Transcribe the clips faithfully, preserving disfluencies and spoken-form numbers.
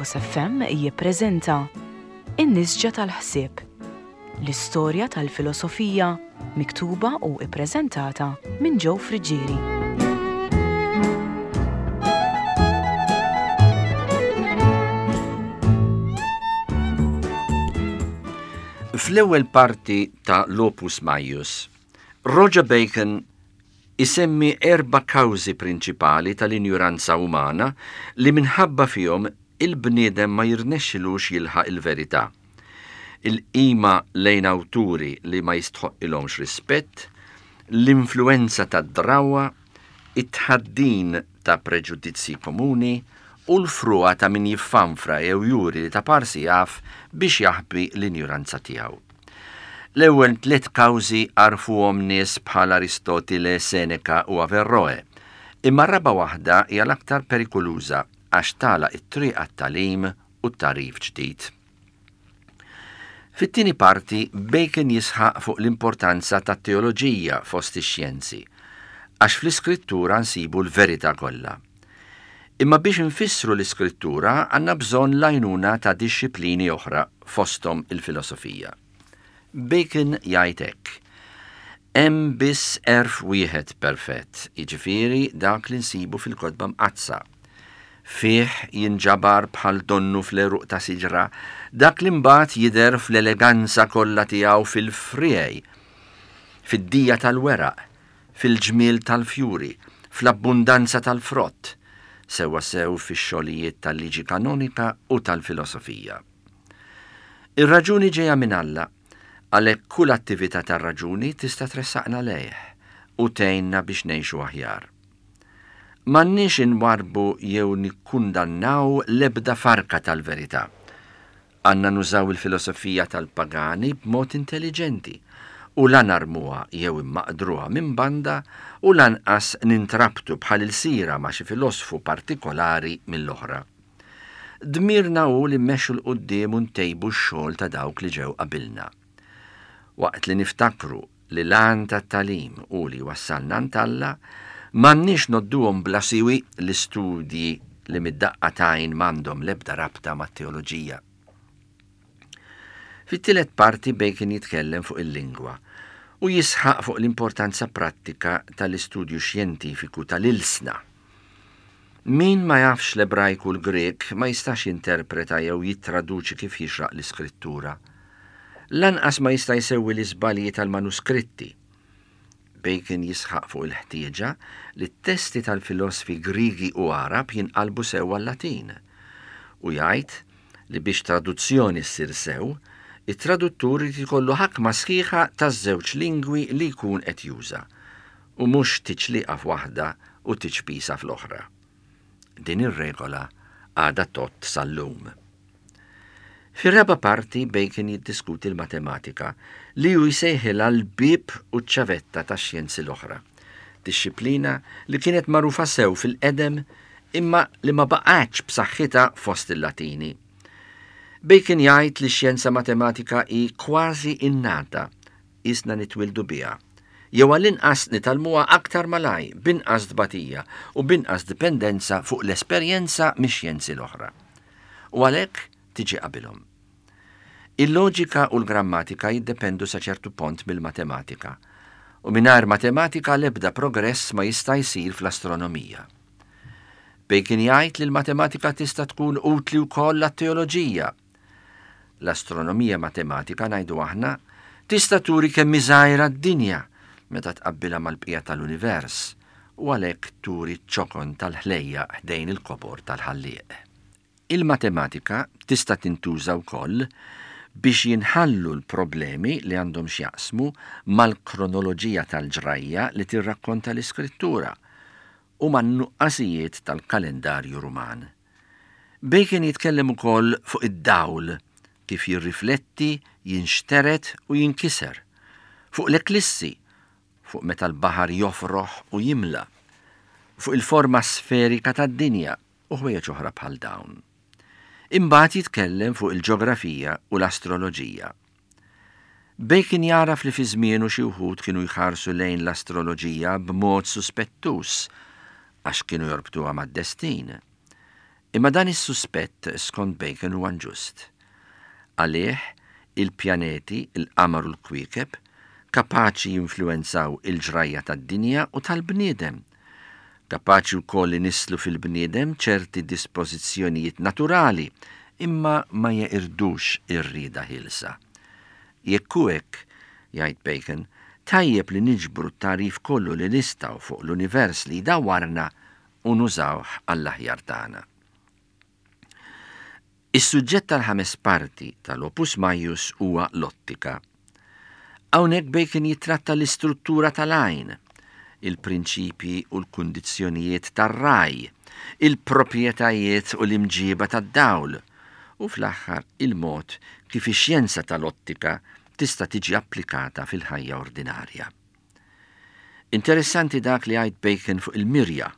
Lighthouse F M jippreżenta In-Nisġa tal-Ħsieb, l-istorja tal-filosofija miktuba u ippreżentata minn Joe Friggieri. Fl-ewwel parti ta' l-Opus Maius, Roger Bacon isemmi erba' kawżi prinċipali tal-injuranza umana li minħabba fihom il-bniedem ma jirnexxilux jilħaq il-verità. Il-qima lejn awturi li ma jistħoqqilhomx rispett, l-influenza tad-drawwa, it-tħaddin ta' preġudizzji komuni u l-frugħa ta' min jiffanfra jew juri li ta' parsi jaf biex jaħbi l-injuranza tiegħu. L-ewwel tliet kawżi għarfuhom nies bħal Aristotile, Seneca u Averroe, imma r-raba' waħda hija l-aktar perikoluża għax tagħlaq it-triq għat-tagħlim u t-tagħrif ġdid. Fit-tieni parti, Bacon jisħaq fuq l-importanza tat-teoloġija fost ix-xjenzi, għax fl-iskrittura nsibu l-verità kollha. Imma biex nfissru l-iskrittura għandna bżonn l-għajnuna ta' dixxiplini oħra, fosthom il-filosofija. Bacon jgħid hekk: Hemm biss għerf wieħed perfett, jiġifieri dak li nsibu fil-kotba mqaddsa. Fih jinġabar bħal donnu fl-għeruq ta' siġra dak li mbagħad jidher fl-eleganza kollha tiegħu fil-friegħi, fid-dija tal-weraq, fil-ġmiel tal-fjuri, fl-abbundanza tal-frott, sewwa sew fix-xogħlijiet tal-liġi kanonika u tal-filosofija. Ir-raġuni ġejja minn Alla, għalhekk kull attività tar-raġuni tista' tressaqna lejh u tgħinna biex ngħixu aħjar. M'għandniex inwarrbu jew nikkundannaw l-ebda farka tal-verità. Għandna nużaw il-filosofija tal-pagani b'mod intelligenti u la narmuha jew immaqdruha minn banda u lanqas nintrabtu bħal ilsira ma' xi filosfu partikolari mill-oħra. Dmirna hu li mmexxu 'l quddiem u ntejbu x-xogħol ta' dawk li ġew qabilna. Waqt li niftakru li l-għan tat-tagħlim hu li wassalna għand Alla, m'għandniex ngħodduhom bla siwi l-istudji li mid-daqqa t'għajn m'għandhom l-ebda rabta mat-teoloġija. Fit-tielet parti Bacon jitkellem fuq il-lingwa u jisħaq fuq l-importanza prattika tal-istudju xjentifiku tal-ilsna. Min ma jafx l-Ebrajk u l-Grek ma jistax jinterpreta jew jittraduċi kif jixraq l-iskrittura. Lanqas ma jista' jsewwi l-iżbalji tal-manuskritti. Bacon jisħaq fuq il-ħtieġa li t-testi tal-filosfi Griegi u Għarab jinqalbu sew għal-Latin u jgħid li biex traduzzjoni ssir sew, it-traduttur irid ikollu ħakma sħiħa taż-żewġ lingwi li jkun qed juża u mhux tiċliqa f'waħda u tiċpisa fl-oħra. Din ir-regola għadha tgħodd sal-lum. Fir-raba' parti Bacon jiddiskuti l-matematika li hu jsejħilha l-bieb u ċ-ċavetta tax-xjenzi l-oħra. Dixxiplina li kienet magħrufa sew fil-qedem imma li ma baqgħetx b'saħħitha fost il-Latini. Bacon jgħid li x-xjenza matematika hi kważi innata, qisna nitwildu biha, jew għall-inqas nitgħallmuha aktar malaj, b'inqas tbatija u b'inqas dipendenza fuq l-esperjenza mix-xjenzi l-oħra. U għalhekk tiġi qabilhom. Il-loġika u l-grammatika jiddependu sa ċertu punt mill-matematika, u mingħajr matematika l-ebda progress ma jista' jsir fl-astronomija. Bacon jgħid li l-matematika tista' tkun utli wkoll għat-teoloġija. L-astronomija matematika, ngħidu aħna, tista' turi kemm hi żgħira d-dinja meta tqabbilha mal-bqija tal-univers u għalhekk turi ċ-ċokon tal-ħlejja ħdejn il-kobor tal-ħallieq. Il-matematika tista' tintuża wkoll biex jinħallu l-problemi li għandhom x'jaqsmu mal-kronoloġija tal-ġrajja li tirrakkonta l-iskrittura u man-nuqqasijiet tal-kalendarju Ruman. Bacon jitkellem ukoll fuq id-dawl kif jirrifletti, jinxtered u jinkiser, fuq l-eklissi, fuq meta l-baħar jofroħ u jimla, fuq il-forma sferika tad-dinja u ħwejjeġ oħra bħal dawn. Imbagħad jitkellem fuq il-ġeografija u l-astroloġija. Bacon jaraf li fi żmienu xi wħud kienu jħarsu lejn l-astroloġija b'mod suspettus għax kienu jorbtuha mad-destin. Imma dan is-suspett skont Bacon huwa inġust. Għalih, il-pjaneti, il-qamar u l-kwiekeb kapaċi jinfluwenzaw il-ġrajja tad-dinja u tal-bniedem. Kapaċi wkoll inisslu fil-bniedem ċerti dispożizzjonijiet naturali, imma ma jeqirdux ir-rieda ħielsa. Jekk hu hekk, jgħid Bacon, tajjeb li niġbru t-tagħrif kollu li nistgħu fuq l-univers li jdawwarna u nużawh għall-aħjar tagħna. Is-suġġett tal-ħames parti tal-Opus Maius huwa l-ottika. Hawnhekk Bacon jitratta l-istruttura tal-għajn, il-prinċipji u l-kundizzjonijiet tar-raj, il-proprjetajiet u l-imġiba tad-dawl, u fl-aħħar il-mod kif ix-xjenza tal-ottika tista' tiġi applikata fil-ħajja ordinarja. Interessanti dak li jgħid Bacon fuq il-mirja.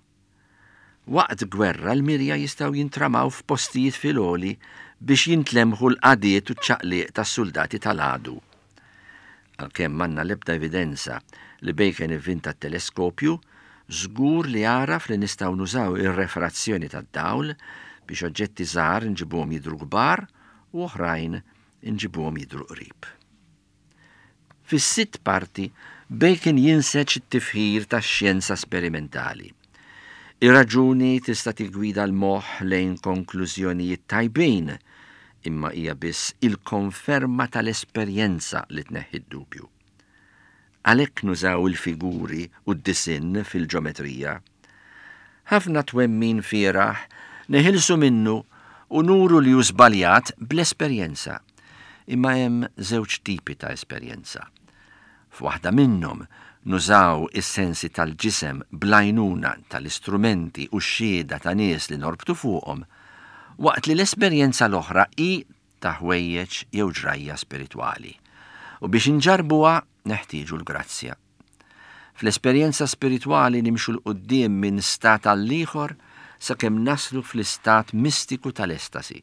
Waqt gwerra l-mirja jistgħu jintramaw f'postijiet fil-għoli biex jintlemħu l-qagħdiet u ċ-ċaqliq tas-soldati tal-għadu. Għalkemm m'għandna l-ebda evidenza li Bacon ivvinta t-teleskopju, żgur li għaraf li nistgħu nużaw ir-refrazzjoni tad-dawl biex oġġetti żgħar nġibuhom jidhru kbar u oħrajn nġibuhom jidhru qrib. Fis-sitt parti, Bacon jinseġ it-tifħir tax-xjenza sperimentali. Ir-raġuni tista' tiggwida l-moħħ lejn konklużjonijiet tajbin, imma hija biss il-konferma tal-esperjenza li tneħħi d-dubju. Għalhekk nużaw il-figuri u d-disinn fil-ġeometrija. Ħafna twemmin fieragħ neħilsu minnu u nuru li hu żbaljat bl-esperjenza. Imma hemm żewġ tipi ta' esperjenza. F'waħda minnhom nużaw is-sensi tal-ġisem bl-għajnuna tal-istrumenti u x-xhieda ta' nies li norbtu fuqhom, waqt li l-esperjenza l-oħra hi ta' ħwejjeġ jew ġrajja spiritwali. U biex inġarbuha neħtieġu l-grazzja. Fl-esperjenza spiritwali nimxu 'l quddiem minn stat għall-ieħor sakemm naslu fl-istat mistiku tal-estasi.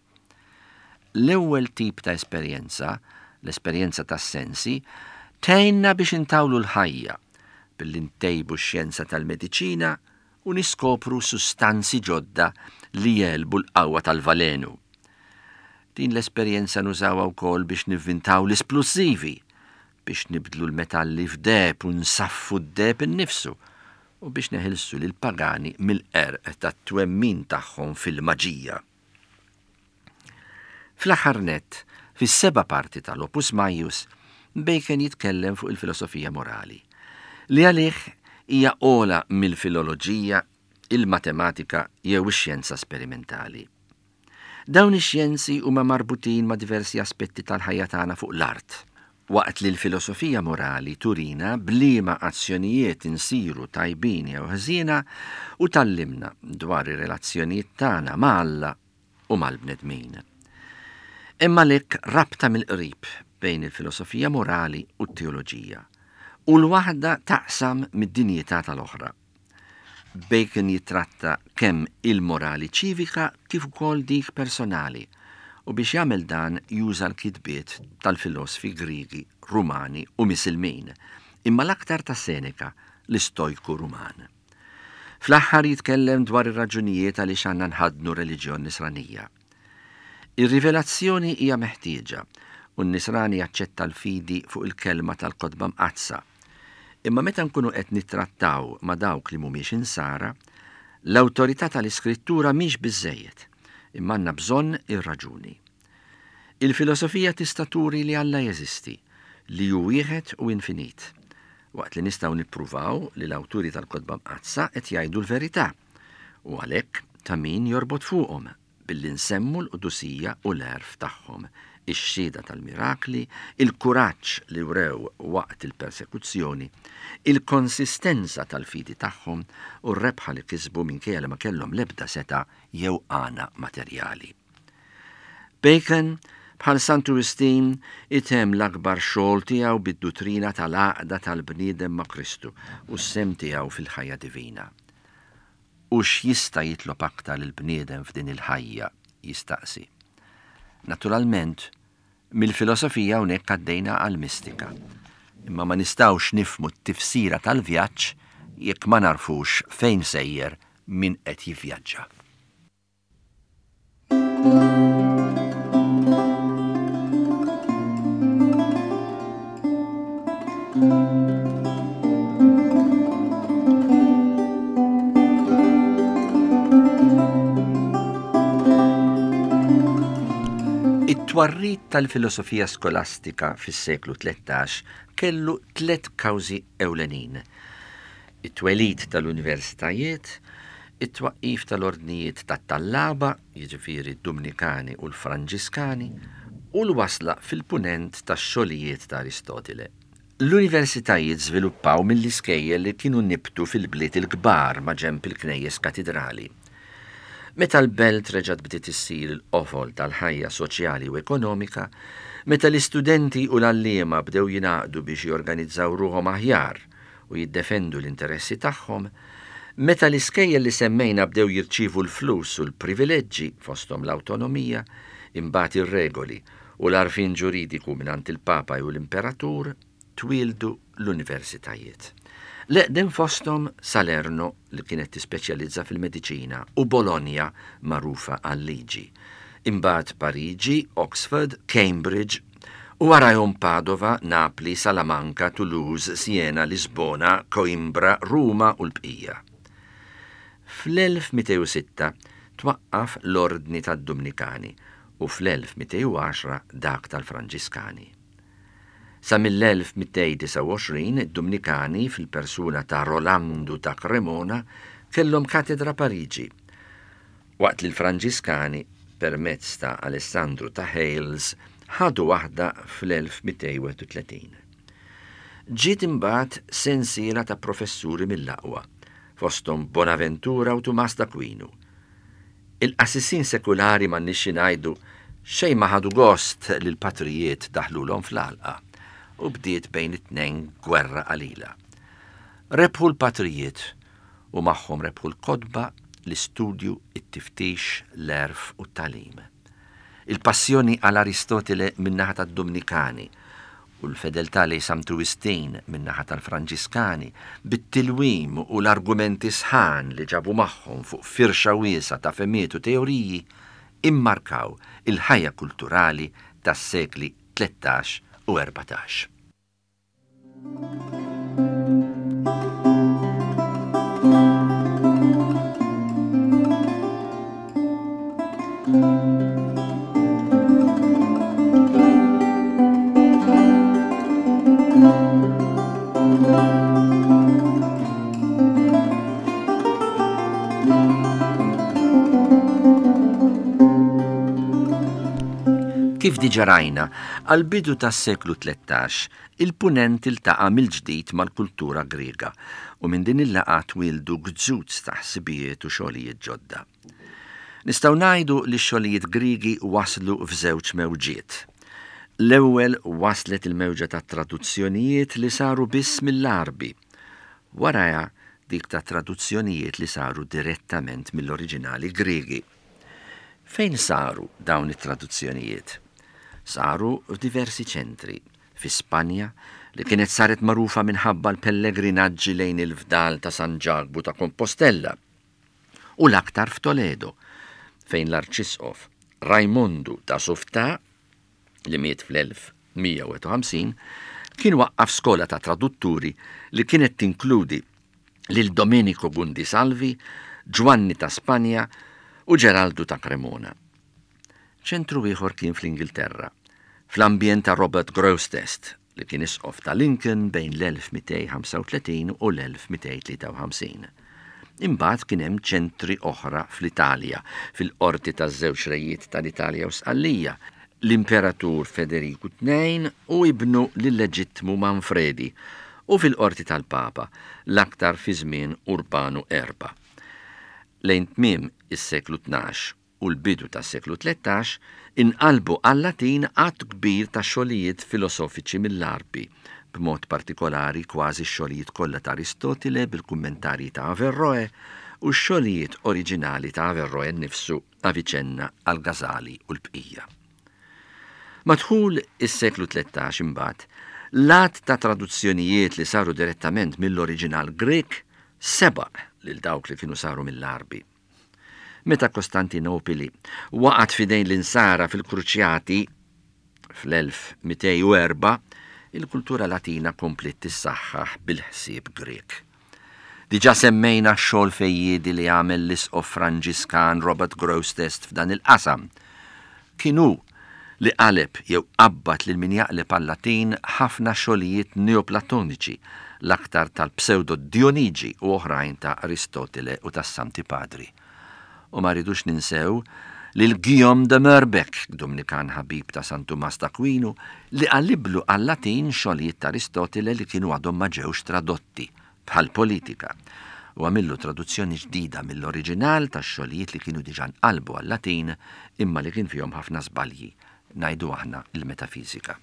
L-ewwel tip ta' esperjenza, l-esperjenza tas-sensi, tgħinna biex intawlu l-ħajja billi ntejbu x-xjenza tal-mediċina u niskopru sustanzi ġodda li jegħlbu l-qawwa tal-valenu. Din l-esperjenza nużawha wkoll biex nivvintaw l-isplussivi, biex nibdlu l-metalli f'deheb u nsaffu d-deheb innifsu u biex neħilsu lil pagani mill-qerq tat-twemmin tagħhom fil-maġija. Fl-aħħar nett, fis-seba' parti tal-Opus Maius, Bacon jitkellem fuq il-filosofija morali, li għalih hija ogħla mill-filoloġija, il-matematika jew ix-xjenza sperimentali. Dawn ix-xjenzi huma marbutin ma' diversi aspetti tal-ħajja tagħna fuq l-art, waqt li l-filosofija morali turina b'liema azzjonijiet insiru tajbin jew ħżiena u tgħallimna dwar ir-relazzjonijiet tagħna ma' Alla u mal-bnedmin. Imma lek rabta mill-qrib bejn il-filosofija morali u t-teoloġija, u l-waħda taqsam mid-dinjità tal-oħra. Bacon jitratta kemm il-morali ċivika kif ukoll dik personali, u biex jagħmel dan juża l-kitbiet tal-filosfi Griegi, Rumani u Misilmin, imma l-aktar ta' Seneca, l-istojku Ruman. Fl-aħħar jitkellem dwar ir-raġunijiet għaliex għandna nħaddnu reliġjon nisranija. Ir-rivelazzjoni hija meħtieġa u n-nisrani jaċċetta l-fidi fuq il-kelma tal-kotba mqaddsa. Imma meta nkunu qed nittrattaw ma' dawk li mhumiex insara, l-awtorità tal-iskrittura mhix biżejjed, imma għandna bżonn ir-raġuni. Il-filosofija tista' turi li Alla jeżisti, li hu wieħed u infinit, waqt li nistgħu nippruvaw li l-awturi tal-kotba mqaddsa qed jgħidu l-verità, u għalhekk ta' min jorbot fuqhom billi nsemmu l-qdusija u l-għerf tagħhom, ix-xhieda tal-mirakli, il-kuraġġ li wrew waqt il-persekuzzjoni, il-konsistenza tal-fidi tagħhom u r-rebħa li kisbu minkejja li ma kellhom l-ebda seta' jew għana materjali. Bacon, bħal Santu Wistin, itemm l-akbar xogħol tiegħu bid-duttrina tal-għaqda tal-bniedem ma' Kristu u s-sehem tiegħu fil-ħajja divina. U x'jista' jitlob aktar il-bniedem f'din il-ħajja, jistaqsi. Naturalment, mill-filosofija hawnhekk għaddejna għall-mistika. Imma ma nistgħux nifhmu t-tifsira tal-vjaġġ jekk ma narfux fejn sejjer min qed jivvjaġġa. It-twarrid tal-filosofija skolastika fis-seklu tlettax kellu tliet kawżi ewlenin. It-twelid tal-universitajiet, it-twaqqif tal-ordnijiet tat-tallaba, jiġifieri d-Dumnikani u l-Franġiskani, u l-wasla fil-punent tax-xogħlijiet ta' Aristotile. L-universitajiet żviluppaw mill-iskejjel li kienu nibtu fil-bliet il-kbar ma' ġenb il-knejjes katidrali. Meta l-belt reġgħet bdiet issir il-qofol tal-ħajja soċjali u ekonomika, meta l-istudenti u l-għalliema bdew jingħaqdu biex jorganizzaw ruħhom aħjar u jiddefendu l-interessi tagħhom, meta l-iskejjel li semmejna bdew jirċievu l-flus u l-privileġġi fosthom l-awtonomija, imbagħad ir-regoli u l-għarfien ġuridiku mingħand il-Papa u l-Imperatur, twieldu l-universitajiet. L-eqdem fosthom Salerno, li kienet tispeċjalizza fil-mediċina, u Bologna, magħrufa għal-liġi. Imbagħad Pariġi, Oxford, Cambridge, u warajhom Padova, Napli, Salamanca, Toulouse, Siena, Lisbona, Coimbra, Ruma u l-bqija. fl-elf mitejn u sitta twaqqaf l-Ordni tad-Dumnikani u fl-elf mitejn u għaxra dak tal-Franġiskani. Sa mill-elf mitejn disgħa u għoxrin id-Dumnikani fil-persuna ta' Rolandu ta' Cremona kellhom katedra Pariġi, waqt li l-Franġiskani permezz ta' Alessandru ta' Hales ħadu waħda fl-elf mitejn wieħed u tletin. Ġiet imbagħad sensiela ta' professuri mill-aqwa, fosthom Bonaventura u Tumas d'Aquino. Il-qassisin sekulari m'għandniex xi ngħidu xejn ma ħadu gost li l-patrijiet daħlulhom fl-għalqa u bdiet bejn it-tnejn gwerra qalila. Rebħu l-patrijiet u magħhom rebħu l-kotba, l-istudju, it-tiftix, l-għerf u t-tagħlim. Il-passjoni għal Aristotile min-naħa tad-Dumnikani u l-fedeltà lejn Santu Wistin min-naħa tal-Franġiskani, bit-tilwim u l-argumenti sħan li ġabu magħhom fuq firxa wiesgħa ta' fehmiet u teoriji, immarkaw il-ħajja kulturali tas-sekli tlettax u erbatax. Kif diġa rajna, għal-bidu tas-seklu tlettax, il-punent iltaqa' mill-ġdid mal-kultura Griega u minn din il-laqgħa twildu gżuz ta' ħsibijiet u xogħlijiet ġodda. Nistgħu ngħidu li x-xogħlijiet Griegi waslu f'żewġ mewġiet. L-ewwel waslet il-mewġa ta' traduzzjonijiet li saru biss mill-Għarbi, warajha dik ta' traduzzjonijiet li saru direttament mill-oriġinali Griegi. Fejn saru dawn it-traduzzjonijiet? Saru f'diversi ċentri, fi Spanja, li kienet saret magħrufa minħabba l-pellegrinaġġi lejn il-fdal ta' San Ġakbu ta' Compostella, u l-aktar f'Toledo, fejn l-Arċisqof Raimondu ta' Sauvetat, li miet fl-elf mija u wieħed u ħamsin, kien waqqaf skola ta' tradutturi li kienet tinkludi lil Domenico Gundisalvi, Giovanni ta' Spanja u Geraldu ta' Cremona. Ċentru ieħor kien fl-Ingilterra, fl-ambjent ta' Robert Grosseteste, li kien isqof ta' Lincoln bejn l-elf mitejn ħamsa u tletin u l-elf mitejn tlieta u ħamsin. Imbagħad kien hemm ċentri oħra fl-Italja, fil-qorti taż-żewġ rejiet tal-Italja u Sqallija, l-Imperatur Federiku tnejn u ibnu lill-leġittmu Manfredi, u fil-qorti tal-Papa, l-aktar fi żmien Urbanu erba'. Lejn tmiem is-seklu tnax u l-bidu tas-seklu tlettax inqalbu għal-Latin għadd kbir ta' xogħlijiet filosofiċi mill-Għarbi, b'mod partikolari kważi x-xogħlijiet kollha ta' Aristotile bil-kummentarji ta' Averroe u x-xogħlijiet oriġinali ta' Averroe nnifsu, Avicenna, Al-Ghazali u l-bqija. Madħul is-seklu tlettax imbagħad, l-għadd ta' traduzzjonijiet li saru direttament mill-oriġinal Grek sebaq lil dawk li kienu saru mill-Għarbi. Meta Kostantinopoli waqgħet f'idejn l-insara fil-Kruċjati fl-elf mitejn u erba', il-kultura Latina kompliet tissaħħaħ bil-ħsieb Grek. Diġà semmejna x-xogħol fejjiedi li għamel l-isqof Franġiskan Robert Grosseteste f'dan il-qasam. Kien hu li qaleb jew qabbad lil min jaqleb għal-Latin ħafna xogħlijiet neoplatoniċi, l-aktar tal-Pseudo Dionigi u oħrajn ta' Aristotile u tas-Santi Padri. U ma rridux ninsew lil Guillaume de Merbeck, Dominikan ħabib ta' San Tumas d'Aquinu, li qaliblu għal-Latin xogħlijiet ta' Aristotile li kienu għadhom ma ġewx tradotti bħal politika, u għamillu traduzzjoni ġdida mill-oriġinal ta' xogħlijiet li kienu diġà nqalbu għal-Latin imma li kien fihom ħafna żbalji, ngħidu aħna il-metafizika.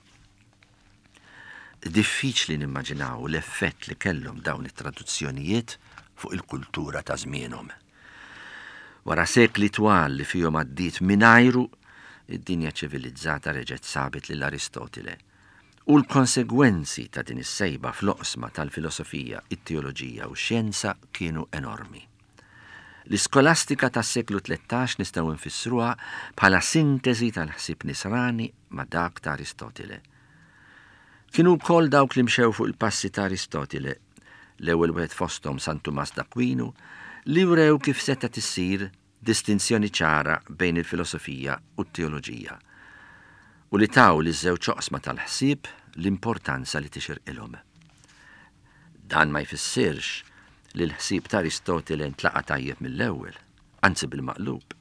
Diffiċli nimmaġinaw l-effett li kellhom dawn it-traduzzjonijiet fuq il-kultura ta' żmienhom. Wara sekli twal li fihom għaddiet mingħajru, id-dinja ċivilizzata reġgħet sabet lil Aristotile. U l-konsegwenzi ta' din is-sejba fl-oqsma tal-filosofija, it-teoloġija u x-xjenza kienu enormi. L-iskolastika tas-seklu tlettax nistgħu nfissruha bħala sintesi tal-ħsieb nisrani ma' dak ta' Aristotile. Kienu wkoll dawk li mxew fuq il-passi ta' Aristotile, l-ewwel wieħed fosthom San Tumas d'Aquinu, li wrew kif setgħet issir distinzjoni ċara bejn il-filosofija u t-teoloġija, u li taw li żewġ oqsma tal-ħsieb l-importanza li tixirqilhom. Dan ma jfissirx li l-ħsieb ta' Aristotile ntlaqa' tajjeb mill-ewwel, anzi bil-maqlub.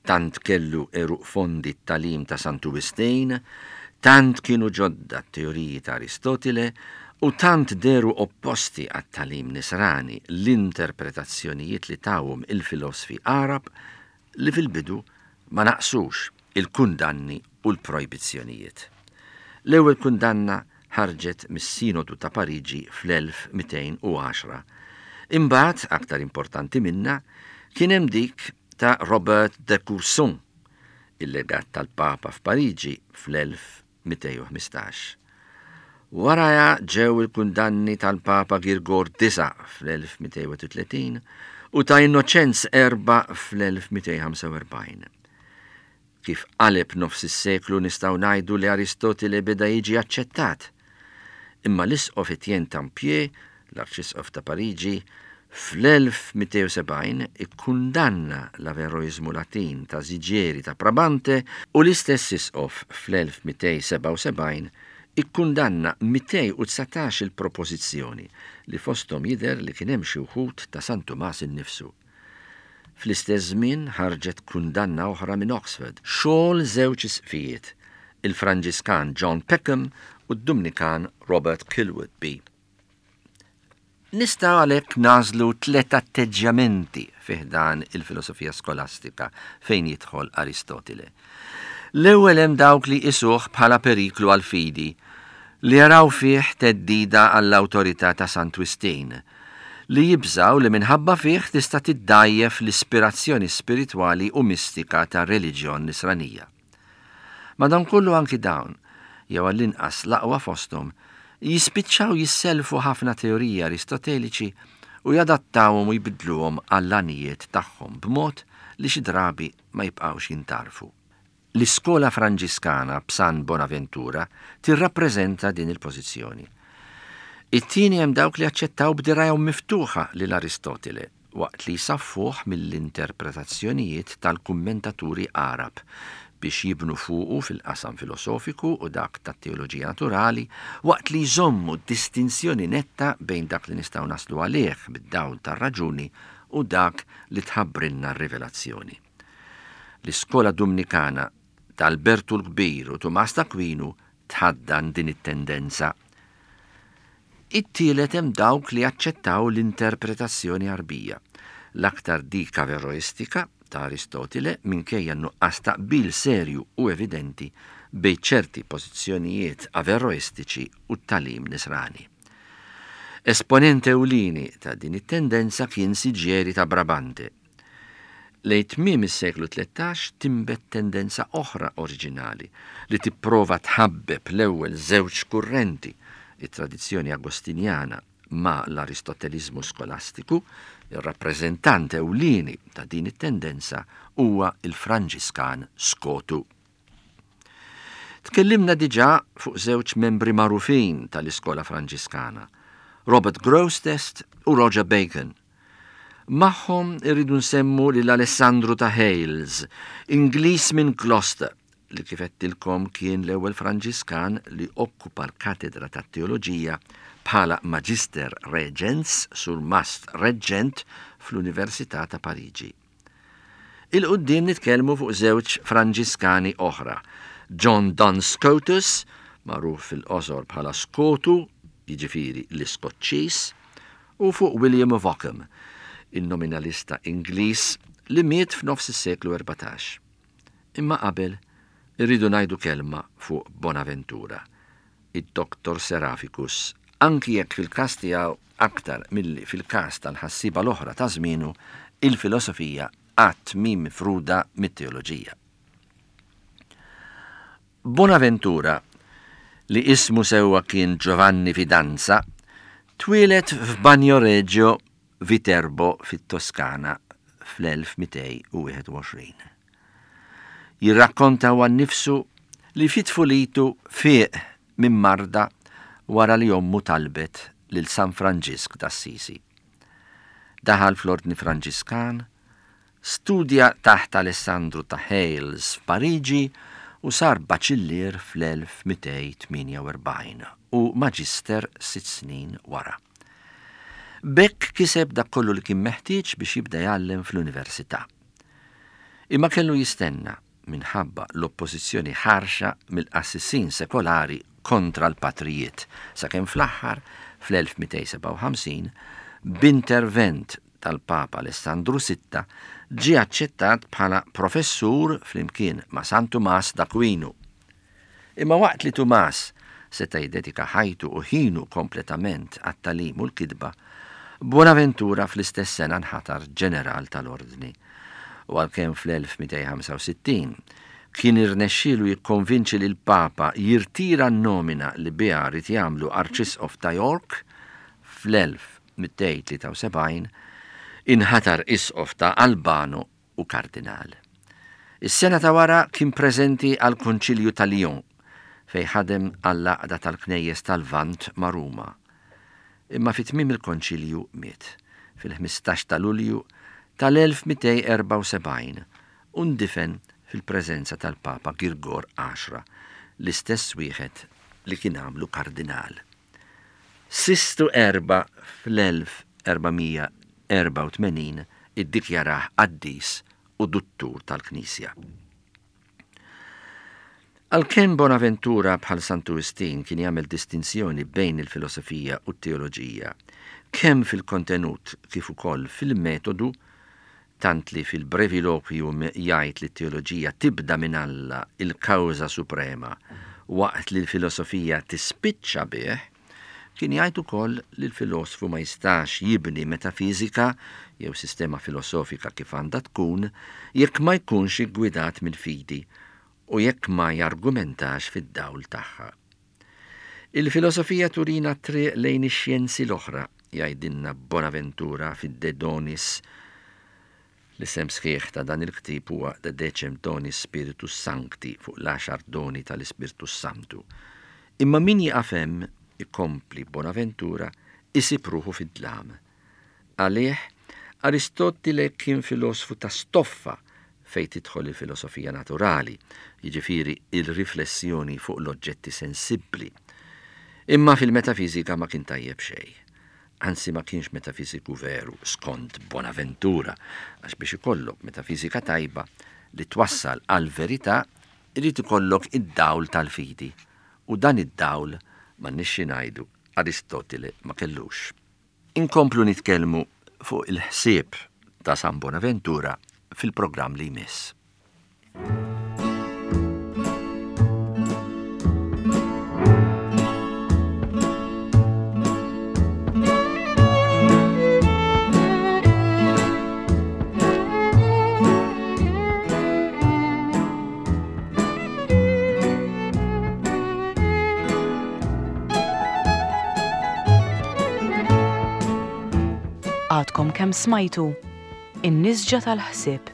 Tant kellu għeruq fondi t-tagħlim ta' Santu Wistin, tant kienu ġodda t-teoriji ta' Aristotile u tant deru opposti għat-tagħlim nisrani l-interpretazzjonijiet li tawhom il-filosfi Arab li fil-bidu ma naqsux il-kundanni u l-projbizzjonijiet. L-ewwel kundanna ħarġet mis-Sinodu ta' Pariġi fl-elf mitejn u għaxra. Imbagħad, aktar importanti minna, kien hemm dik ta' Robert de Courson, il-legat tal-Papa f'Pariġi fl-elf mitejn u ħmistax. Waraja ġew il-kundanni tal-Papa Girgor disa fl-elf mitejn u tletin u ta' Innoċenz erba' fl-elf mitejn ħamsa u erbgħin. Kif qaleb nofs is-seklu nistgħu ngħidu li Aristotile beda jiġi aċċettat. Imma l-isqof Etienne Tempier, l-arċisqof ta' Pariġi, fl-elf mitejn u sebgħin ikkundanna l-Averroismu Latin ta' Sigieri ta' Brabante u l-istess isqof fl-elf mitejn sebgħa u sebgħin ikkundanna mitejn u dsatax il-propożizzjoni li fosthom jidher li kien hemm xi wħud ta' San Tumas innifsu. Fl-istess żmien ħarġet kundanna oħra minn Oxford, xogħol żewġ isqfijiet, il-Franġiskan John Peckham u d-Dumnikan Robert Kilwardby. Nistgħu għalhekk nażlu tliet atteġġjamenti fi ħdan il-filosofija skolastika fejn jidħol Aristotile. L-ewwel hemm dawk li jqisuh bħala periklu għall-fidi, li jaraw fih theddida għall-awtorità ta' Sant Wistin, li jibżaw li minħabba fih tista' tiddajjef l-ispirazzjoni spiritwali u mistika ta' reliġjon nisranija. Madankollu anki dawn, jew għall-inqas l-aqwa fosthom, jispiċċaw jisselfu ħafna teoriji aristoteliċi u jadattawhom u jbidluhom għall-għanijiet tagħhom b'mod li xi drabi ma jibqgħux jintarfu. L-iskola Franġiskana b'San Bonaventura tirrappreżenta din il-pożizzjoni. It-tieni hemm dawk li aċċettaw b'dirajhom miftuħa lil Aristotile waqt li jsaffuh mill-interpretazzjonijiet tal-kummentaturi Arab biex jibnu fuqu fil-qasam filosofiku u dak tat-teoloġija naturali waqt li jżommu distinzjoni netta bejn dak li nistgħu naslu għalih bid-dawl tar-raġuni u dak li tħabbrilna r-rivelazzjoni. L-iskola Dumnikana ta' Albertu l-Kbir u Tumas d'Aquinu tħaddan din it-tendenza. It-tielet hemm dawk li aċċettaw l-interpretazzjoni Arbija, l-aktar dik averroistika ta' Aristotile minkejja nuqqas ta' qbil serju u evidenti bejn ċerti pożizzjonijiet averroistiċi u t-tagħlim nisrani. Esponent ewlieni ta' din it-tendenza kien Sigieri ta' Brabante. Lejn tmiem is-seklu tlettax timbet tendenza oħra oriġinali li tipprova tħabbeb l-ewwel żewġ kurrenti, it-tradizzjoni agostinjana ma' l-aristotelizmu skolastiku. Il-rappreżentant ewlieni ta' din it-tendenza huwa il-Franġiskan Skotu. Tkellimna diġà fuq żewġ membri magħrufin tal-Iskola Franġiskana, Robert Grosseteste u Roger Bacon. Magħhom irridu nsemmu lil Alessandru ta' Hales, Ingliż minn Gloucester, li kif għedtilkom kien l-ewwel Franġiskan li okkupa l-katedra tat-teoloġija bħala Magister Regens surmast reġġent fl-Università ta' Pariġi. 'Il quddiem nitkellmu fuq żewġ Franġiskani oħra, John Duns Scotus, magħruf fil-qosor bħala Skotu, jiġifieri l-Iskoċċiż, u fuq William of Ockham, il-nominalista Ingliż li miet f'nofs is-seklu erbatax. Imma qabel irridu ngħidu kelma fuq Bonaventura, id-Doktor Seraphicus, anki jekk fil-każ tiegħu aktar milli fil-każ tal-ħassiba l-oħra ta' żmienu, il-filosofija qatt mhi mifruda mit-teoloġija. Bonaventura, li ismu sewwa kien Giovanni Fidanza, twieled f'Bagnoregio Viterbo fit-Toskana fl-elf mitejn u wieħed u għoxrin. Jirrakkonta huwa nnifsu li fi tfulitu fieq minn marda wara li ommu talbet lil San Franġisk d'Assisi. Daħal fl-Ordni Franġiskan, studja taħt Alessandru ta' Hales f'Pariġi u sar baċillier fl-elf mitejn tmienja u erbgħin u maġister sitt snin wara. B'hekk kiseb dak kollu li kien meħtieġ biex jibda jgħallem fl-università. Imma kellu jistenna minħabba l-oppożizzjoni ħarxa mill-qassisin sekolari kontra l-patrijiet, sakemm fl-aħħar fl-elf mitejn sebgħa u ħamsin b'intervent tal-Papa Alessandru sitta ġie aċċettat bħala professur flimkien ma' San Tumas d'Aquino. Imma waqt li Tumas seta' jiddedika ħajtu u ħinu kompletament għat-tagħlim u l-kitba, Bonaventura fl-istess sena nħatar ġeneral tal-Ordni. U għalkemm fl-elf mitejn ħamsa u sittin kien irnexxielu jikkonvinċi lil Papa jirtira n-nomina li biha rid jagħmlu Arċisqof ta' York, fl-elf mitejn tlieta u sebgħin inħatar isqof ta' Albano u kardinal. Is-sena ta' wara kien preżenti għal Konċilju ta' Lyon fej ħadem għall-għaqda tal-Knejjes tal-Lvant ma' Ruma. Imma fi tmiem il-Konċilju miet fil-ħmistax ta' Lulju tal-elf mitejn erbgħa u sebgħin u ndifen fil-preżenza tal-Papa Girgor għaxra, l-istess wieħed li kien għamlu kardinal. Sistu erba' fl-elf erbamija erbgħa u tmenin iddikjarah qaddis u duttur tal-Knisja. Għalkemm Bonaventura bħal Santu Wistin kien jagħmel distinzjoni bejn il-filosofija u t-teoloġija, kemm fil-kontenut kif ukoll fil-metodu, tant li fil-breviloquium jgħid li t-teoloġija tibda minn Alla il-kawża suprema, waqt li l-filosofija tispiċċa bih, kien jgħid ukoll li l-filosfu ma jistax jibni metafiżika jew sistema filosofika kif għandha tkun jekk ma jkunx iggwidat mill-fidi u jekk ma jargumentax fid-dawl tagħha. Il-filosofija turina triq lejn ix-xjenzi l-oħra, jgħidilna Bonaventura fid-De Donis. L-isem sħiħ ta' dan il-ktieb huwa De Decem Donis Spiritus Sancti, fuq l-għaxar doni tal-Ispirtu Santu. Imma min jieqaf hemm, ikompli Bonaventura, isib ruħu fid-dlam. Għalih, Aristotile kien filosfu ta' stoffa fej tidħol il-filosofija naturali, jiġifieri il-riflessjoni fuq l-oġġetti sensibbli. Imma fil-metafiżika ma kien tajjeb xejn. Anzi ma kienx metafiżiku veru skont Bonaventura, għax biex ikollok metafiżika tajba li twassal għal-verità, irid ikollok id-dawl tal-fidi. U dan id-dawl ma nixxi ngħidu Aristotile ma kellux. Inkomplu nitkellmu fuq il-ħsieb ta' San Bonaventura fil-programm li jmiss. Għadkom kemm smajtu In-Nisġa tal-Ħsieb,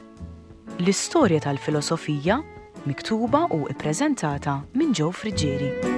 l-istorja tal-filosofija Miktuba u ippreżentata minn Joe Friggieri.